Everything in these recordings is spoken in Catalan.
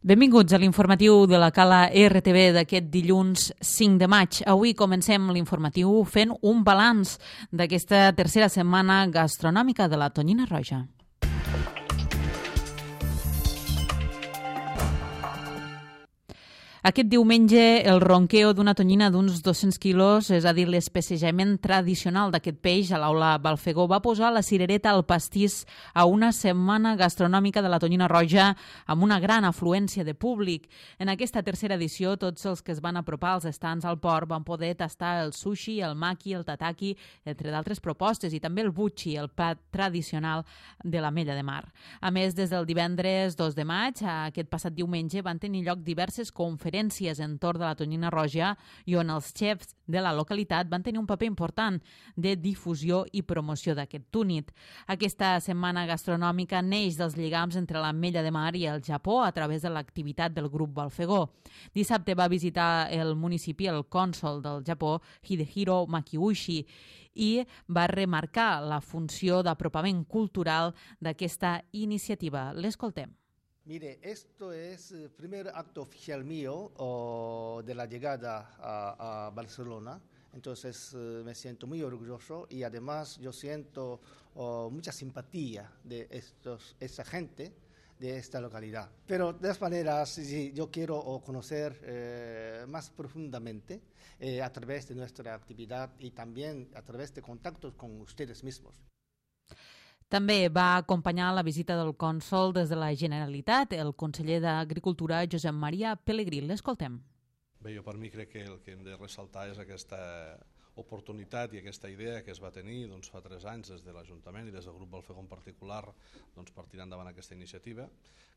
Benvinguts a l'informatiu de la Cala RTV d'aquest dilluns 5 de maig. Avui comencem l'informatiu fent un balanç d'aquesta tercera setmana gastronòmica de la Tonyina Roja. Aquest diumenge, el ronqueo d'una tonyina d'uns 200 quilos, és a dir, l'especejament tradicional d'aquest peix a l'Aula Balfegó, va posar la cirereta al pastís a una setmana gastronòmica de la Tonyina Roja amb una gran afluència de públic. En aquesta tercera edició, tots els que es van apropar als estants al port van poder tastar el sushi, el maki, el tataki, entre d'altres propostes, i també el buchi, el plat tradicional de l'Ametlla de Mar. A més, des del divendres 2 de maig, aquest passat diumenge, van tenir lloc diverses conferències entorn de la Tonyina Roja i on els xefs de la localitat van tenir un paper important de difusió i promoció d'aquest túnit. Aquesta setmana gastronòmica neix dels lligams entre l'Ametlla de Mar i el Japó a través de l'activitat del grup Balfegó. Dissabte va visitar el municipi el cònsol del Japó, Hidehiro Makiuchi, i va remarcar la funció d'apropament cultural d'aquesta iniciativa. L'escoltem. Mire, esto es el primer acto oficial mío de la llegada a Barcelona, entonces me siento muy orgulloso y además yo siento mucha simpatía de esta gente de esta localidad. Pero de todas maneras, sí, yo quiero conocer más profundamente a través de nuestra actividad y también a través de contactos con ustedes mismos. També va acompanyar la visita del cònsol des de la Generalitat, el conseller d'Agricultura, Josep Maria Pelegrí. L'escoltem. Bé, jo per mi crec que el que hem de ressaltar és aquesta oportunitat i aquesta idea que es va tenir fa 3 anys des de l'Ajuntament i des del grup Balfegó en particular per tirar endavant aquesta iniciativa.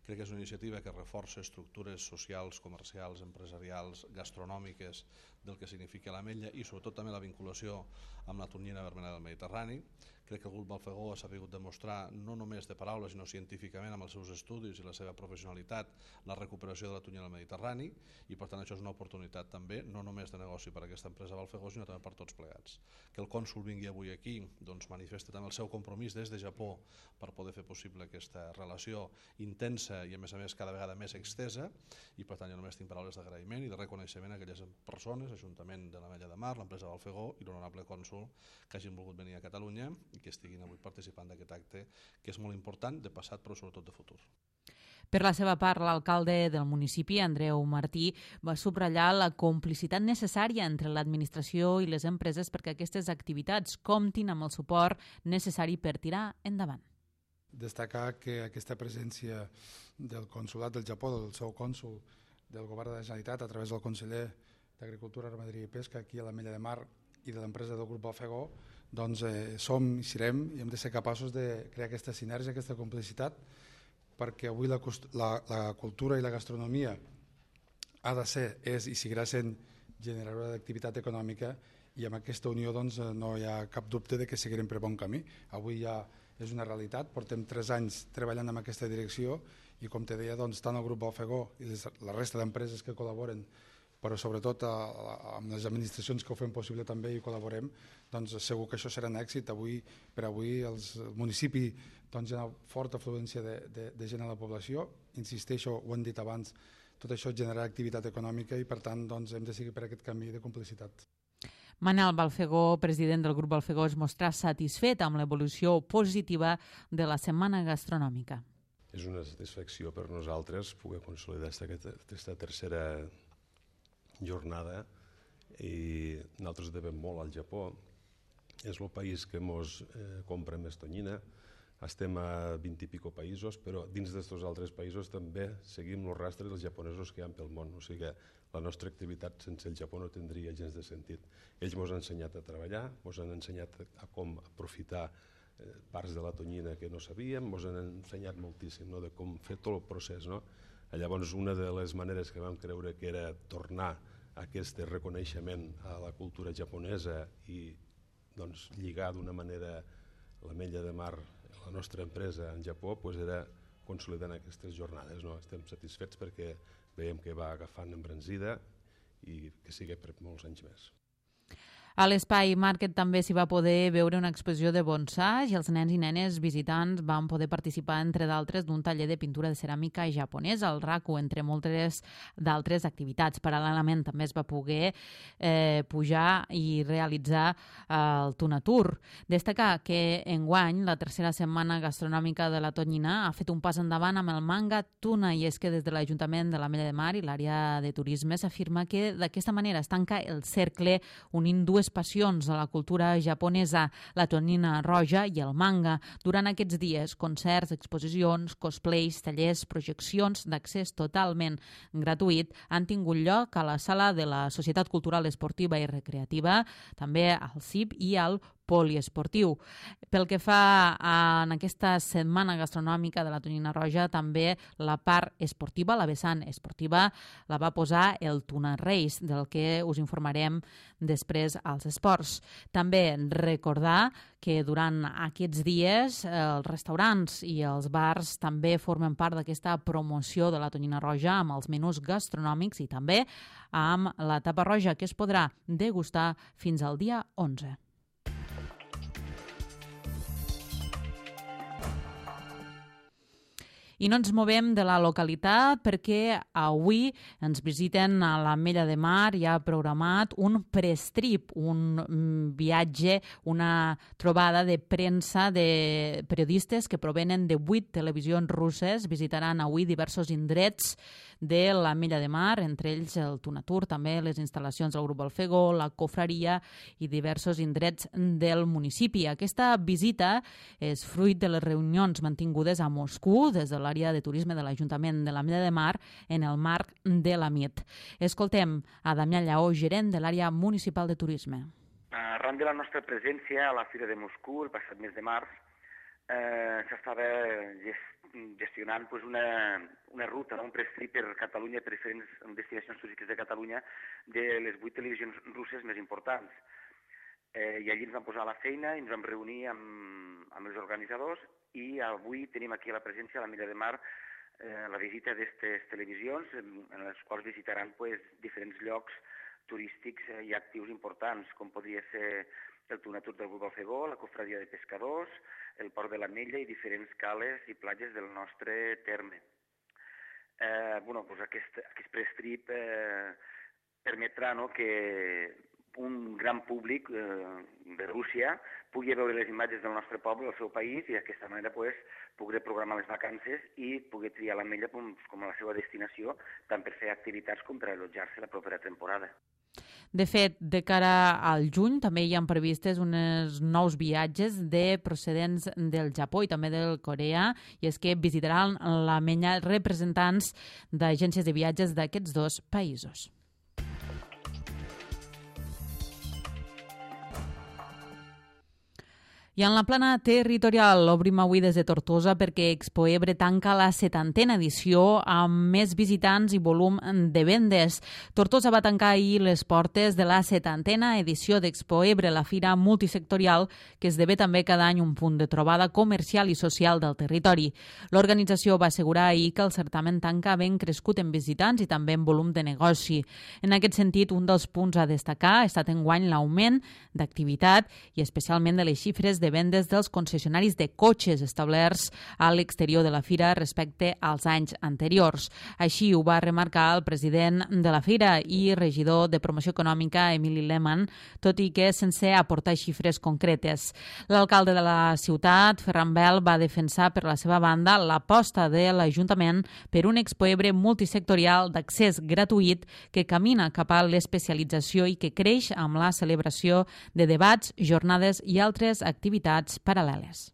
Crec que és una iniciativa que reforça estructures socials, comercials, empresarials, gastronòmiques del que significa l'Ametlla i sobretot també la vinculació amb la tonyina vermella del Mediterrani. Crec que el grup Balfegó ha sabut demostrar, no només de paraules, sinó científicament amb els seus estudis i la seva professionalitat, la recuperació de la tonyina del Mediterrani i per tant això és una oportunitat també, no només de negoci per a aquesta empresa Balfegó, sinó també per tots plegats. Que el cònsol vingui avui aquí manifesta també el seu compromís des de Japó per poder fer possible aquesta relació intensa i a més cada vegada més extesa i per tant jo només tinc paraules d'agraïment i de reconeixement a aquelles persones, Ajuntament de l'Ametlla de Mar, l'empresa Balfegó i l'honorable cònsol que hagin volgut venir a Catalunya i que estiguin avui participant d'aquest acte que és molt important de passat però sobretot de futur. Per la seva part, l'alcalde del municipi, Andreu Martí, va subratllar la complicitat necessària entre l'administració i les empreses perquè aquestes activitats comptin amb el suport necessari per tirar endavant. Destacar que aquesta presència del consolat del Japó, del seu cònsol, del govern de la Generalitat, a través del conseller d'Agricultura, Ramaderia i Pesca aquí a l'Ametlla de Mar i de l'empresa del grup Balfegó, som i serem i hem de ser capaços de crear aquesta sinergia, aquesta complicitat, perquè avui la cultura i la gastronomia ha de ser, és i seguirà sent generadora d'activitat econòmica i amb aquesta unió no hi ha cap dubte de que seguirem per bon camí. Avui ja és una realitat, portem 3 anys treballant en aquesta direcció i com te deia, tant el grup Balfegó i la resta d'empreses que col·laboren, però sobretot amb les administracions que ho fem possible també i col·laborem, segur que això serà un èxit. Per avui el municipi hi ha una forta afluència de gent a la població, insisteixo, ho hem dit abans, tot això genera activitat econòmica i per tant hem de seguir per aquest camí de complicitat. Manel Balfegó, president del grup Balfegó, es mostra satisfet amb l'evolució positiva de la setmana gastronòmica. És una satisfacció per nosaltres poder consolidar aquesta tercera jornada i nosaltres devem molt al Japó. És el país que ens compra més tonyina. Estem a 20 i pico països, però dins d'aquests altres països també seguim el rastre dels japonesos que hi ha pel món. O sigui que la nostra activitat sense el Japó no tindria gens de sentit. Ells ens han ensenyat a treballar, ens han ensenyat a com aprofitar parts de la tonyina que no sabíem, ens han ensenyat moltíssim de com fer tot el procés. Llavors, una de les maneres que vam creure que era tornar aquest reconeixement a la cultura japonesa i lligar d'una manera l'Ametlla de Mar, la nostra empresa en Japó, era consolidant aquestes jornades. Estem satisfets perquè veiem que va agafant embranzida i que sigui per molts anys més. A l'Espai Market també s'hi va poder veure una exposició de bonsai i els nens i nenes visitants van poder participar, entre d'altres, d'un taller de pintura de ceràmica japonesa al RACU, entre moltes d'altres activitats. Paral·lelament també es va poder pujar i realitzar el Tunatur. Destacar que enguany la tercera setmana gastronòmica de la Tonyina ha fet un pas endavant amb el manga tuna, i és que des de l'Ajuntament de l'Ametlla de Mar i l'àrea de turisme s'afirma que d'aquesta manera es tanca el cercle unint dues passions de la cultura japonesa, la tonyina roja i el manga. Durant aquests dies, concerts, exposicions, cosplays, tallers, projeccions d'accés totalment gratuït han tingut lloc a la sala de la Societat Cultural Esportiva i Recreativa, també al CIP i al poliesportiu. Pel que fa en aquesta setmana gastronòmica de la Tonyina Roja, també la part esportiva, la vessant esportiva, la va posar el Tuna Race, del que us informarem després als esports. També recordar que durant aquests dies els restaurants i els bars també formen part d'aquesta promoció de la Tonyina Roja amb els menús gastronòmics i també amb la tapa roja, que es podrà degustar fins al dia 11. I no ens movem de la localitat perquè avui ens visiten a l'Ametlla de Mar. Hi ha programat un prestrip, un viatge, una trobada de premsa de periodistes que provenen de 8 televisions russes. Visitaran avui diversos indrets de l'Ametlla de Mar, entre ells el Tunatur, també les instal·lacions del Grup Balfegó, la Cofraria i diversos indrets del municipi. Aquesta visita és fruit de les reunions mantingudes a Moscou des de l'àrea de turisme de l'Ajuntament de l'Ametlla de Mar en el marc de la MIT. Escoltem a Damià Lleó, gerent de l'àrea municipal de turisme. Arran de la nostra presència a la Fira de Moscou el passat mes de març, s'estava gestionant una ruta, un prestrip per Catalunya, per diferents destinacions turístiques de Catalunya, de les 8 televisions russes més importants. I allí ens vam posar a la feina i ens vam reunir amb els organitzadors, i avui tenim aquí a la presència a l'Ametlla de Mar la visita d'aquestes televisions, en les quals visitaran diferents llocs turístics i actius importants, com podria ser el Tunatur del Grup Balfegó, la Cofradia de Pescadors, el Port de l'Ametlla i diferents cales i platges del nostre terme. Aquest prestrip permetrà que un gran públic de Rússia pugui veure les imatges del nostre poble, del seu país, i d'aquesta manera pugui programar les vacances i pugui triar l'Ametlla com a la seva destinació, tant per fer activitats com per allotjar-se la propera temporada. De fet, de cara al juny també hi ha previstes uns nous viatges de procedents del Japó i també del Corea, i és que visitaran l'Ametlla representants d'agències de viatges d'aquests dos països. I en la plana territorial obrim avui des de Tortosa perquè Expo Ebre tanca la 70a edició amb més visitants i volum de vendes. Tortosa va tancar ahir les portes de la 70a edició d'Expo Ebre, la fira multisectorial que esdevé també cada any un punt de trobada comercial i social del territori. L'organització va assegurar ahir que el certamen tanca ben crescut en visitants i també en volum de negoci. En aquest sentit, un dels punts a destacar ha estat enguany l'augment d'activitat i especialment de les xifres de vendes dels concessionaris de cotxes establerts a l'exterior de la fira respecte als anys anteriors. Així ho va remarcar el president de la fira i regidor de promoció econòmica, Emili Lehmann, tot i que sense aportar xifres concretes. L'alcalde de la ciutat, Ferran Bel, va defensar per la seva banda l'aposta de l'Ajuntament per un Expo Ebre multisectorial d'accés gratuït que camina cap a l'especialització i que creix amb la celebració de debats, jornades i altres activitats paral·leles.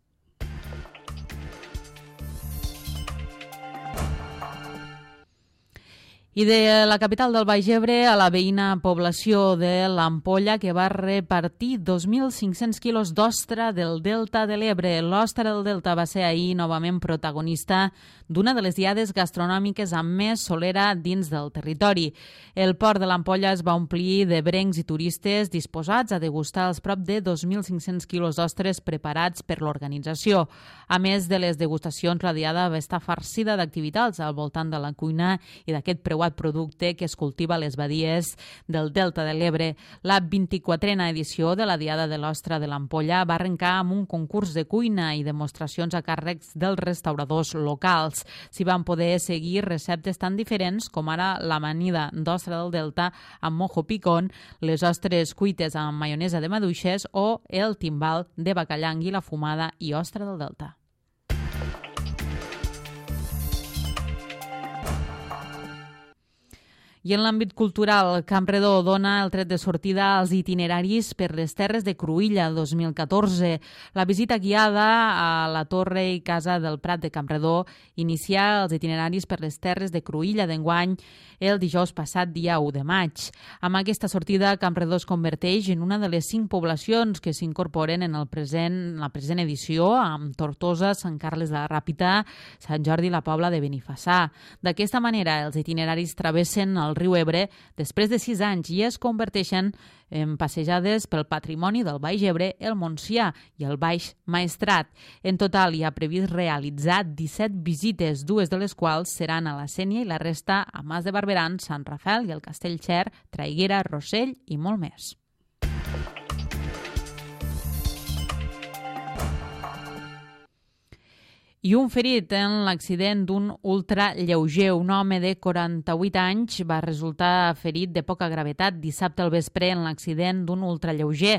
I de la capital del Baix Ebre a la veïna població de l'Ampolla, que va repartir 2.500 quilos d'ostra del Delta de l'Ebre. L'ostra del Delta va ser ahir novament protagonista d'una de les diades gastronòmiques amb més solera dins del territori. El port de l'Ampolla es va omplir de brencs i turistes disposats a degustar els prop de 2.500 quilos d'ostres preparats per l'organització. A més de les degustacions, la diada va estar farcida d'activitats al voltant de la cuina i d'aquest preu preuat producte que es cultiva a les badies del Delta de l'Ebre. La 24a edició de la Diada de l'Ostra de l'Ampolla va arrencar amb un concurs de cuina i demostracions a càrrecs dels restauradors locals. S'hi van poder seguir receptes tan diferents com ara l'amanida d'ostra del Delta amb mojo picón, les ostres cuites amb maionesa de maduixes o el timbal de bacallà, anguila fumada i ostra del Delta. I en l'àmbit cultural, Campredó dona el tret de sortida als itineraris per les terres de Cruïlla 2014. La visita guiada a la Torre i Casa del Prat de Campredó inicia els itineraris per les terres de Cruïlla d'enguany el dijous passat, dia 1 de maig. Amb aquesta sortida, Campredó es converteix en una de les 5 poblacions que s'incorporen en la present edició, amb Tortosa, Sant Carles de la Ràpita, Sant Jordi i la Pobla de Benifassà. D'aquesta manera, els itineraris travessen el riu Ebre després de 6 anys i es converteixen en passejades pel patrimoni del Baix Ebre, el Montsià i el Baix Maestrat. En total hi ha previst realitzar 17 visites, 2 de les quals seran a la Sénia i la resta a Mas de Barberan, Sant Rafel i el Castell Xer, Traiguera, Rossell i molt més. I un ferit en l'accident d'un ultralleuger. Un home de 48 anys va resultar ferit de poca gravetat dissabte al vespre en l'accident d'un ultralleuger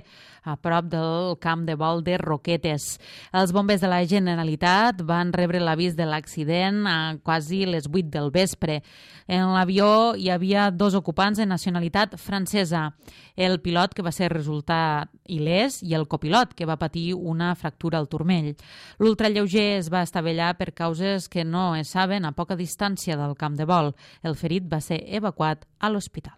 a prop del camp de vol de Roquetes. Els bombers de la Generalitat van rebre l'avís de l'accident a quasi les 8 del vespre. En l'avió hi havia 2 ocupants de nacionalitat francesa, el pilot que va ser resultat il·lès i el copilot que va patir una fractura al turmell. L'ultralleuger es va estavellar per causes que no es saben a poca distància del camp de vol. El ferit va ser evacuat a l'hospital.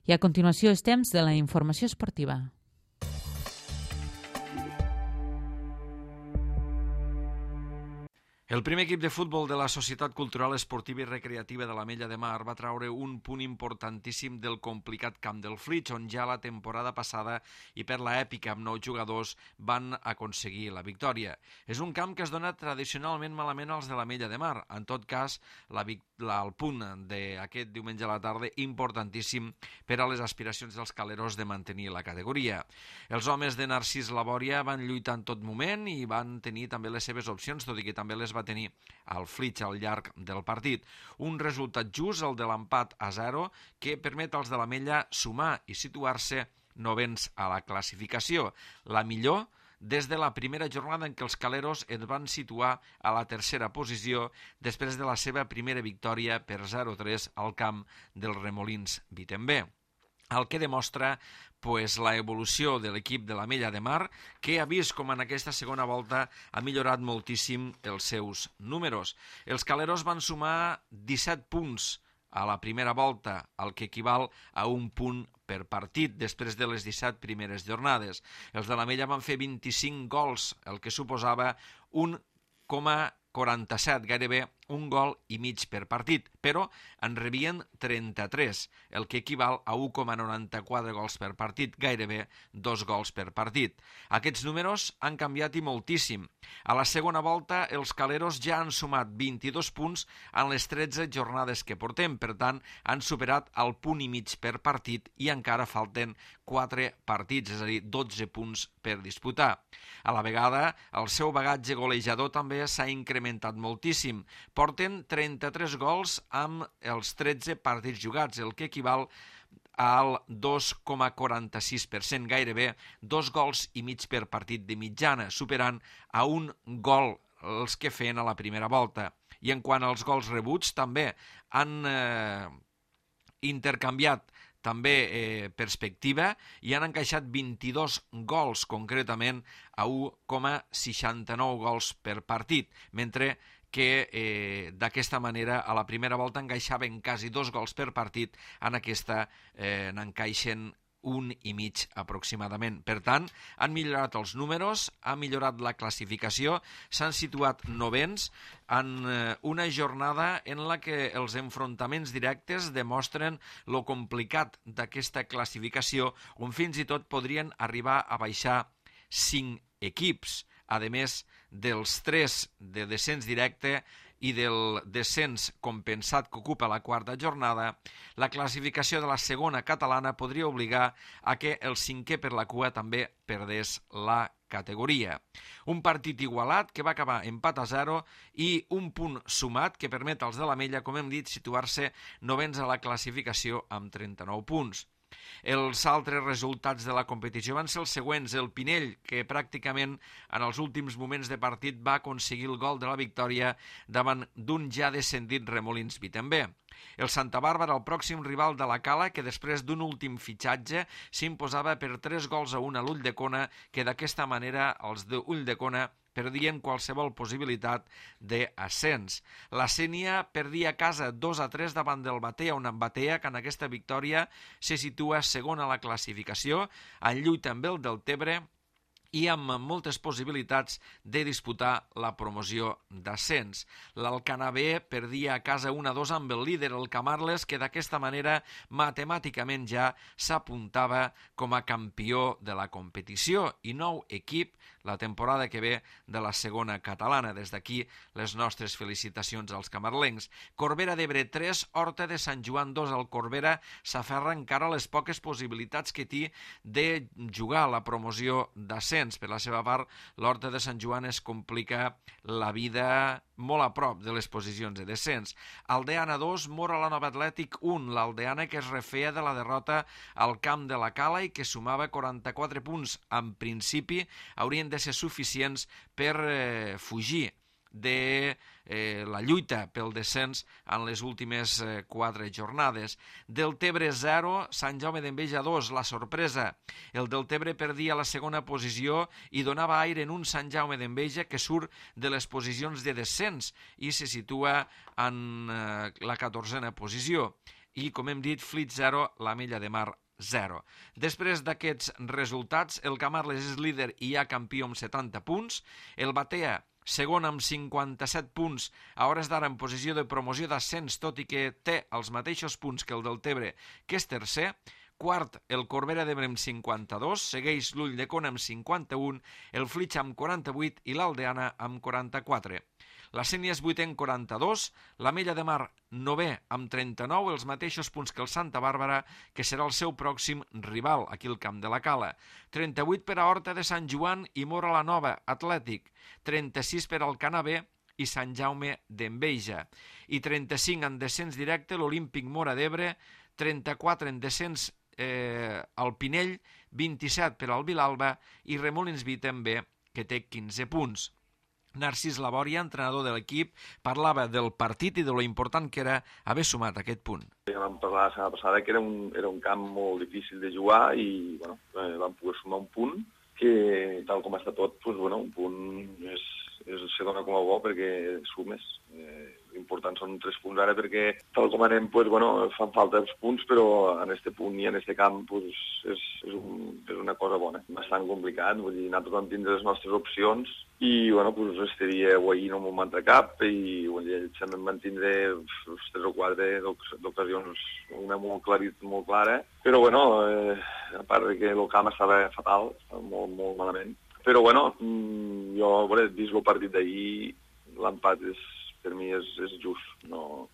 I a continuació és temps de la informació esportiva. El primer equip de futbol de la Societat Cultural Esportiva i Recreativa de l'Ametlla de Mar va traure un punt importantíssim del complicat camp del Flix, on ja la temporada passada i per l'èpica amb 9 jugadors van aconseguir la victòria. És un camp que es dona tradicionalment malament als de l'Ametlla de Mar. En tot cas, el punt d'aquest diumenge a la tarda importantíssim per a les aspiracions dels caleros de mantenir la categoria. Els homes de Narcís Labòria van lluitar en tot moment i van tenir també les seves opcions, tot i que també les va tenir el Flix al llarg del partit. Un resultat just, el de l'empat a 0, que permet als de l'Ametlla sumar i situar-se novens a la classificació. La millor des de la primera jornada en què els caleros es van situar a la tercera posició després de la seva primera victòria per 0-3 al camp dels Remolins Vitembé. El que demostra la evolució de l'equip de l'Ametlla de Mar, que ha vist com en aquesta segona volta ha millorat moltíssim els seus números. Els caleros van sumar 17 punts a la primera volta, el que equival a un punt per partit després de les 17 primeres jornades. Els de l'Ametlla van fer 25 gols, el que suposava 1,47, gairebé un gol i mig per partit, però en rebien 33, el que equival a 1,94 gols per partit, gairebé 2 gols per partit. Aquests números han canviat i moltíssim. A la segona volta, els caleros ja han sumat 22 punts en les 13 jornades que portem, per tant, han superat el punt i mig per partit i encara falten 4 partits, és a dir, 12 punts per disputar. A la vegada, el seu bagatge golejador també s'ha incrementat moltíssim. Porten 33 gols amb els 13 partits jugats, el que equival al 2,46%, gairebé 2 gols i mig per partit de mitjana, superant a un gol els que feien a la primera volta. I en quant als gols rebuts, també han intercanviat també perspectiva i han encaixat 22 gols, concretament a 1,69 gols per partit, mentre que d'aquesta manera a la primera volta encaixaven quasi 2 gols per partit, en aquesta n'encaixen 1 i mig aproximadament. Per tant, han millorat els números, ha millorat la classificació, s'han situat novens en una jornada en la que els enfrontaments directes demostren lo complicat d'aquesta classificació, on fins i tot podrien arribar a baixar 5 equips. a més dels 3 de descens directe i del descens compensat que ocupa la quarta jornada, la classificació de la segona catalana podria obligar a que el 5è per la cua també perdés la categoria. Un partit igualat que va acabar empat a 0 i un punt sumat que permet als de l'Ametlla, com hem dit, situar-se 9ens a la classificació amb 39 punts. Els altres resultats de la competició van ser els següents. El Pinell, que pràcticament en els últims moments de partit va aconseguir el gol de la victòria davant d'un ja descendit Remolins Vi també. El Santa Bàrbara, el pròxim rival de la Cala, que després d'un últim fitxatge s'imposava per 3-1 a l'Ulldecona, que d'aquesta manera els d'Ulldecona perdien qualsevol possibilitat d'ascens. La Sénia perdia a casa 2-3 davant del Batea, una Batea que en aquesta victòria se situa segon a la classificació, en lluita amb el Deltebre i amb moltes possibilitats de disputar la promoció d'ascens. L'Alcanar B perdia a casa 1-2 amb el líder, el Camarles, que d'aquesta manera matemàticament ja s'apuntava com a campió de la competició i nou equip la temporada que ve de la segona catalana. Des d'aquí les nostres felicitacions als camarlencs. Corbera d'Ebre 3, Horta de Sant Joan 2. El Corbera s'aferra encara a les poques possibilitats que té de jugar a la promoció d'ascens. Per la seva part, l'Horta de Sant Joan es complica la vida molt a prop de les posicions de descens. Aldeana 2, Mora la Nova Atlètic 1. L'Aldeana que es refeia de la derrota al camp de la Cala i que sumava 44 punts. En principi haurien de ser suficients per fugir de la lluita pel descens en les últimes 4 jornades. Deltebre 0, Sant Jaume d'Enveja 2, la sorpresa. El Deltebre perdia la segona posició i donava aire en un Sant Jaume d'Enveja que surt de les posicions de descens i se situa en la 14a posició. I, com hem dit, Flit 0, l'Ametlla de Mar 0. Després d'aquests resultats, el Camarles és líder i ja campió amb 70 punts. El Batea, segon amb 57 punts, a hores d'ara en posició de promoció d'ascens, tot i que té els mateixos punts que el Deltebre, que és tercer. Quart, el Corbera d'Ebre amb 52, segueix l'Ulldecona amb 51, el Flix amb 48 i l'Aldeana amb 44. La Sénia és 8è amb 42, l'Ametlla de Mar 9è amb 39, els mateixos punts que el Santa Bàrbara, que serà el seu pròxim rival aquí al camp de la Cala. 38 per a Horta de Sant Joan i Mora la Nova Atlètic, 36 per al Alcanar B i Sant Jaume d'Enveja, i 35 en descens directe l'Olímpic Mora d'Ebre, 34 en descens al Pinell, 27 per al Vilalba i Remolins Vi també, que té 15 punts. Narcís Labòria, entrenador de l'equip, parlava del partit i de lo important que era haver sumat aquest punt. Ja vam parlar la setmana passada que era un camp molt difícil de jugar i vam poder sumar un punt que, tal com està tot, un punt se dona com a bo perquè sumes. L'important són 3 punts ara perquè, tal com anem, fan falta els punts, però en aquest punt i en aquest camp és una cosa bona. Bastant complicat, vull dir, nosaltres vam tindre les nostres opcions i, este dia ahir no m'ho mantra cap i sempre em van tindre 3 o 4 d'ocasions, una molt clara, però, a part que el camp estava fatal, molt, molt malament. Però, jo, vist el partit d'ahir, l'empat per mi és just, no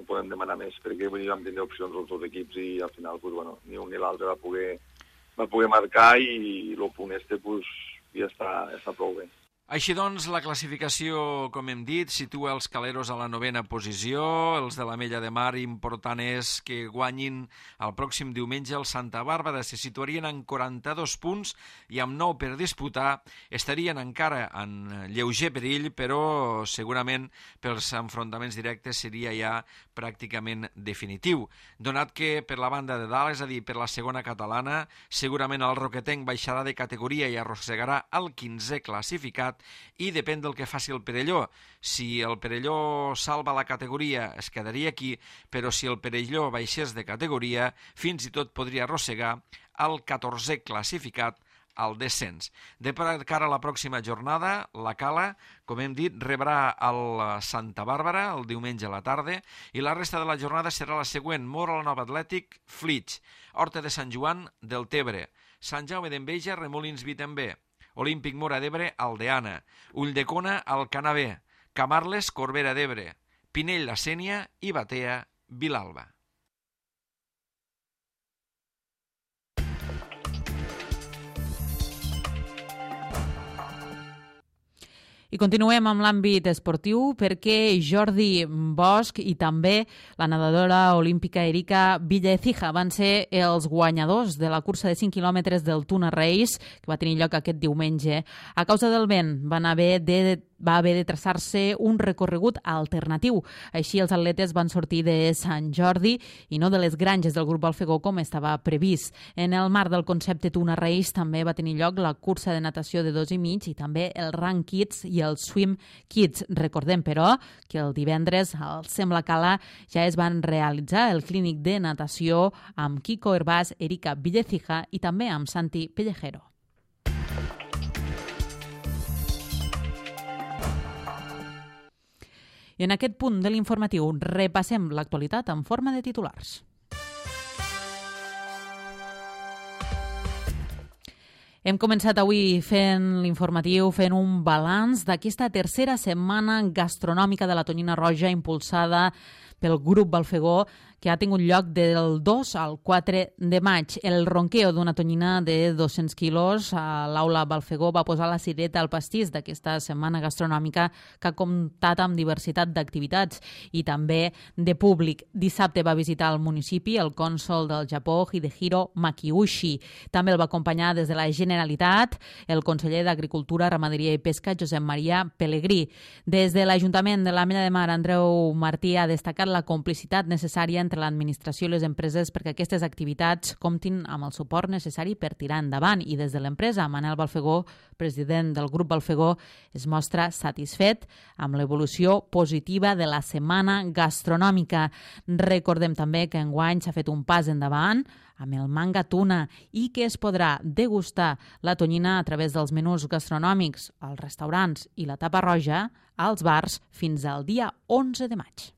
podem demanar més, perquè vam tindre opcions els dos equips i al final, ni un ni l'altre va poder marcar i el punt ja està prou bé. Així doncs, la classificació, com hem dit, situa els caleros a la 9a posició, els de l'Ametlla de Mar, important és que guanyin el pròxim diumenge el Santa Bàrbara, se situarien en 42 punts i amb 9 per disputar, estarien encara en lleuger perill, però segurament pels enfrontaments directes seria ja pràcticament definitiu, donat que per la banda de dalt, és a dir, per la segona catalana, segurament el Roquetenc baixarà de categoria i arrossegarà el 15è classificat i depèn del que faci el Perelló. Si el Perelló salva la categoria es quedaria aquí, però si el Perelló baixés de categoria fins i tot podria arrossegar el 14è classificat al descens. De cara a la pròxima jornada, la Cala, com hem dit, rebrà el Santa Bàrbara el diumenge a la tarda i la resta de la jornada serà la següent: Mora la Nova Atlètic, Flix, Horta de Sant Joan, Deltebre, Sant Jaume d'Enveja, Remolins Vi també, Olímpic Móra d'Ebre, Aldeana, Ulldecona, Alcanavé, Camarles, Corbera d'Ebre, Pinell, la Sénia i Batea, Vilalba. I continuem amb l'àmbit esportiu perquè Jordi Bosch i també la nedadora olímpica Erika Villaecija van ser els guanyadors de la cursa de 5 quilòmetres del Tuna Race, que va tenir lloc aquest diumenge. A causa del vent va haver de traçar-se un recorregut alternatiu. Així els atletes van sortir de Sant Jordi i no de les granges del grup Balfegó com estava previst. En el marc del concepte Tuna Race també va tenir lloc la cursa de natació de 2,5 i també el Run Kids i el Swim Kids. Recordem, però, que el divendres al Sembla Cala ja es van realitzar el clínic de natació amb Kiko Herbàs, Erika Villaecija i també amb Santi Pellejero. I en aquest punt de l'informatiu repassem l'actualitat en forma de titulars. Hem començat avui fent l'informatiu, fent un balanç d'aquesta tercera setmana gastronòmica de la Tonyina Roja impulsada pel grup Balfegó, que ha tingut lloc del 2 al 4 de maig. El ronqueo d'una tonyina de 200 quilos a l'aula Balfegó va posar la cireta al pastís d'aquesta setmana gastronòmica que ha comptat amb diversitat d'activitats i també de públic. Dissabte va visitar el municipi el cònsol del Japó, Hidehiro Makiushi. També el va acompanyar des de la Generalitat el conseller d'Agricultura, Ramaderia i Pesca, Josep Maria Pelegrí. Des de l'Ajuntament de l'Ametlla de Mar, Andreu Martí ha destacat la complicitat necessària entre l'administració i les empreses perquè aquestes activitats comptin amb el suport necessari per tirar endavant. I des de l'empresa, Manel Balfegó, president del grup Balfegó, es mostra satisfet amb l'evolució positiva de la setmana gastronòmica. Recordem també que enguany s'ha fet un pas endavant amb el manga tuna i que es podrà degustar la tonyina a través dels menús gastronòmics als restaurants i la tapa roja als bars fins al dia 11 de maig.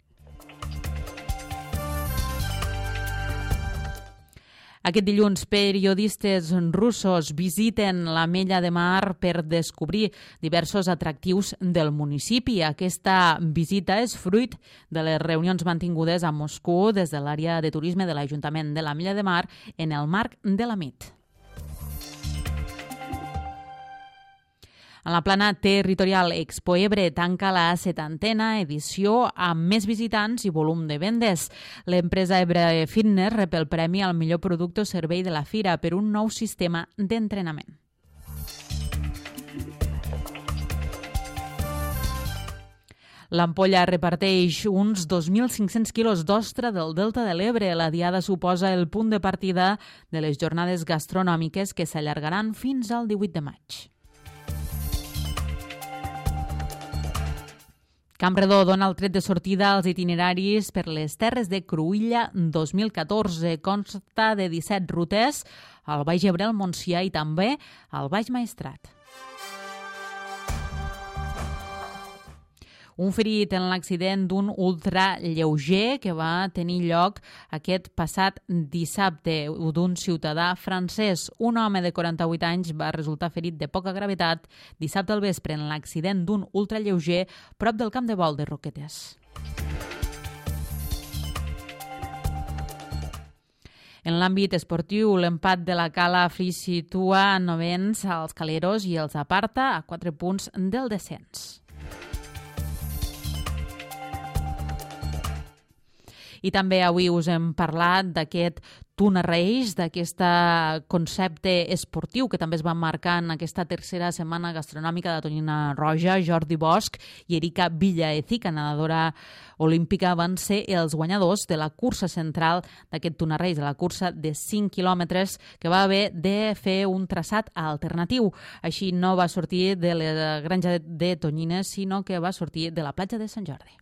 Aquest dilluns, periodistes russos visiten l'Ametlla de Mar per descobrir diversos atractius del municipi. Aquesta visita és fruit de les reunions mantingudes a Moscou des de l'àrea de turisme de l'Ajuntament de l'Ametlla de Mar en el marc de la MIT. En la plana territorial, Expo Ebre tanca la 70a edició amb més visitants i volum de vendes. L'empresa Ebre Fitness rep el premi al millor producte o servei de la fira per un nou sistema d'entrenament. L'Ampolla reparteix uns 2.500 quilos d'ostra del Delta de l'Ebre. La diada suposa el punt de partida de les jornades gastronòmiques que s'allargaran fins al 18 de maig. Campredó dona el tret de sortida als itineraris per les terres de Cruïlla 2014. Consta de 17 rutes al Baix Ebre, al Montsià i també al Baix Maestrat. Un ferit en l'accident d'un ultralleuger que va tenir lloc aquest passat dissabte d'un ciutadà francès. Un home de 48 anys va resultar ferit de poca gravetat dissabte al vespre en l'accident d'un ultralleuger prop del camp de vol de Roquetes. En l'àmbit esportiu, l'empat de la Cala situa novens als Caleros i els aparta a 4 punts del descens. I també avui us hem parlat d'aquest Tuna Race, d'aquest concepte esportiu que també es va marcar en aquesta tercera setmana gastronòmica de Tonyina Roja. Jordi Bosch i Erika Villaecija, nedadora olímpica, van ser els guanyadors de la cursa central d'aquest Tuna Race, de la cursa de 5 quilòmetres, que va haver de fer un traçat alternatiu. Així no va sortir de la granja de tonyines, sinó que va sortir de la platja de Sant Jordi.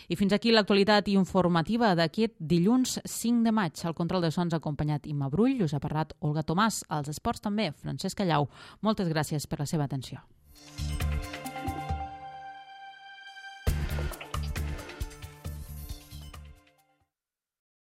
I fins aquí l'actualitat informativa d'aquest dilluns 5 de maig. Al control de sons ha acompanyat Imma Brull, us ha parlat Olga Tomàs, als esports també Francesc Callau. Moltes gràcies per la seva atenció.